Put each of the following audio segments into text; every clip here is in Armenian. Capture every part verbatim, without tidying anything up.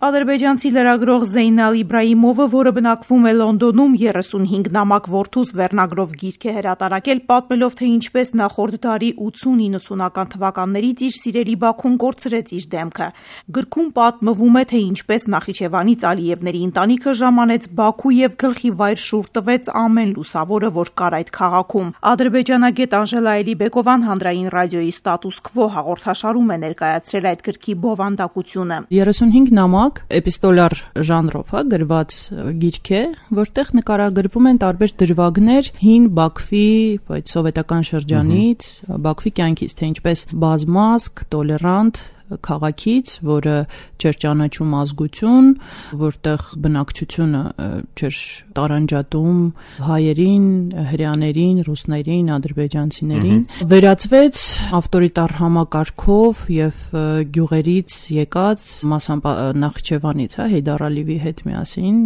Ադրբեջանցի լրագրող Զեյնալ Իբրահիմովը, որը բնակվում է Լոնդոնում, երեսունհինգ նամակ որդուս վերնագրով գիրք է հրատարակել, պատմելով, թե ինչպես նախորդ դարի ութսուն-իննսունական թվականներից իր սիրելի Բաքուն կորցրեց իր դեմքը։ Գրքում պատմվում է, թե ինչպես Նախիջևանից Ալիևների ընտանիքը ժամանեց Բաքու եւ գլխի վայր շուռ տվեց ամեն լուսավորը, որ կար այդ քաղաքում։ Ադրբեջանագետ Անժելա Էլիբեկովան հանրային ռադիոյի Ստատուս քվո հաղորդաշարում է ներկայացրել այդ գրքի բովանդակությունը։ երեսունհինգ նամակ էպիստոլար ժանրով հա, գրված գիրք է, որտեղ նկարագրվում են տարբեր դրվագներ հին Բաքվի, այդ սովետական շրջանից, Բաքվի կյանքից, թե ինչպես բազմազգ, տոլերանտ քաղաքից, որը չէր ճանաչում ազգություն, որտեղ բնակչությունը չէր տարանջատում հայերին, հրեաներին, ռուսներին, ադրբեջանցիներին, վերածվեց ավտորիտար համակարգով եւ գյուղերից եկած մասամբ Նախիջևանից, հա, Հեյդար Ալիևի հետ միասին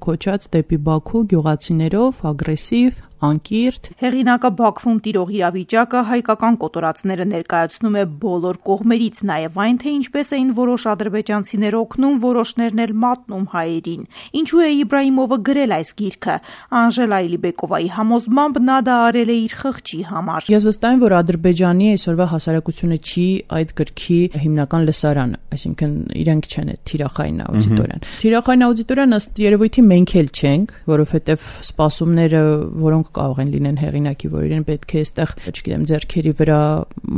քոչած դեպի Բաքու գյուղացիներով, ագրեսիվ, անկիրթ։ Հեղինակը Բաքվում տիրող իրավիճակը հայկական կոտորածները ներկայացնում է բոլոր կողմերից, նաև այն, թե ինչպես էին որոշ ադրբեջանցիներ օգնում, որոշներն էլ մատնում հայերին։ Ինչու է Իբրահիմովը գրել այս գիրքը։ Անժելա Էլիբեկովայի համոզմամբ նա դա արել է իր խղճի համար։ Ես վստահ եմ, որ Ադրբեջանի այսօրվա հասարակությունը չի այդ գրքի հիմնական լսարանը, այսինքն իրենք չեն այդ թիրախային աուդիտորիան։ Թիրախային աուդիտորիան ըստ երևույթի մենք էլ չենք, որովհետև սպասումները, որոնք կարող են լինեն հեղինակի, որ իրեն պետք է այստեղ, չգիտեմ, ձեռքերի վրա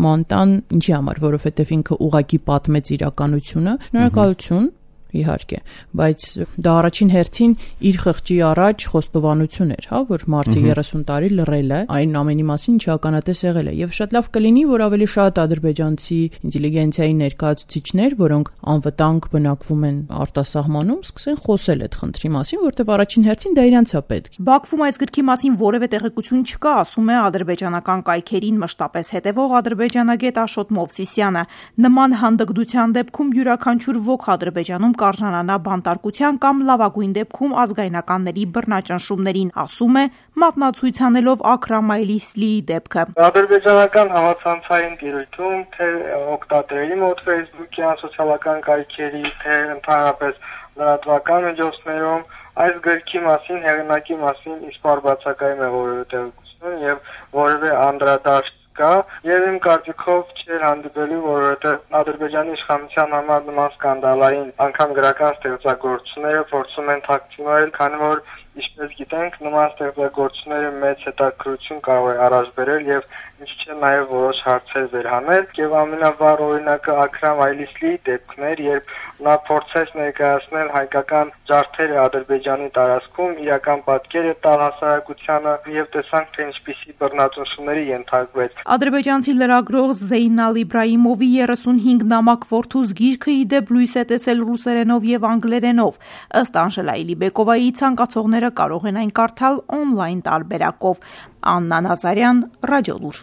մանտան, ինչի համար, որովհետև ինքը ուղակի պատմեց իրականությունը։ Շնորհակալություն, իհարկե, բայց դա առաջին հերթին իր խղճի առաջ խոստովանություն էր, հա, որ մարդը երեսուն տարի լռել է, այն ամենի մասին ինչ ականատես եղել է, եւ շատ լավ կլինի, որ ավելի շատ ադրբեջանցի ինտելիգենցիայի ներկայացուցիչներ, որոնք անվտանգ բնակվում են արտասահմանում, սկսեն խոսել այդ խնդրի մասին, որտեղ առաջին հերթին դա իրանց է պետք։ Բաքվում այս գրքի մասին որևէ տեղեկություն չկա, ասում է ադրբեջանական կայքերին մշտապես հետևող ադրբեջանագետ Աշոտ Մովսիսյանը։ Նման հանդգտության դեպքում յուրաքանչյուր ոք Ադրբեջանում կարժանանա բանտարկության կամ լավագույն դեպքում ազգայնականների բռնաճնշումներին, ասում է, մատնացույց անելով Աքրամ Այլիսլիի դեպքը։ Ադրբեջանական համացանցային տիրույթում, թե օգտատերերի մոտ Facebook-յան սոցիալական կայքերի, թե ընդհանրապես լրատվական միջոցներում այս գրքի մասին, հեղինակի մասին իսպար բացակայում է որևէ տեղեկություն եւ որևէ անդրադարձ կա, եւ իմ կարծիքով չէր հանդիպելու, որովհետեւ Ադրբեջանի իշխանության համար նման սկանդալային անգամ գրական ստեղծագործությունները փորձում են թաքցնել, քանի որ ինչպես գիտենք, նման ստեղծագործությունները մեծ հետաքրքրություն կարող է առաջ բերել եւ ինչ չէ նաեւ որոշ հարցեր վերհանել, եւ ամենավառ օրինակը Աքրամ Այլիսլիի դեպքն էր, երբ նա փորձեց ներկայացնել հայկական ջարդերը Ադրբեջանի տարածքում, իրական պատկերը տալ հասարակությանը եւ տեսանք, թե ինչպիսի բռնաճնշումների ենթարկվեց։ Ադրբեջանցի լրագրող Զեյնալ Իբրահիմովի երեսունհինգ նամակ որդուս գիրքը ի դեպ լույս է տեսել ռուսերենով եւ անգլերենով։ Ըստ Անժելա Էլիբեկովայի, ցանկացողները կարող են այն կարդալ օնլայն տարբերակով։ Աննա Նազարյան, Ռադիոլուր։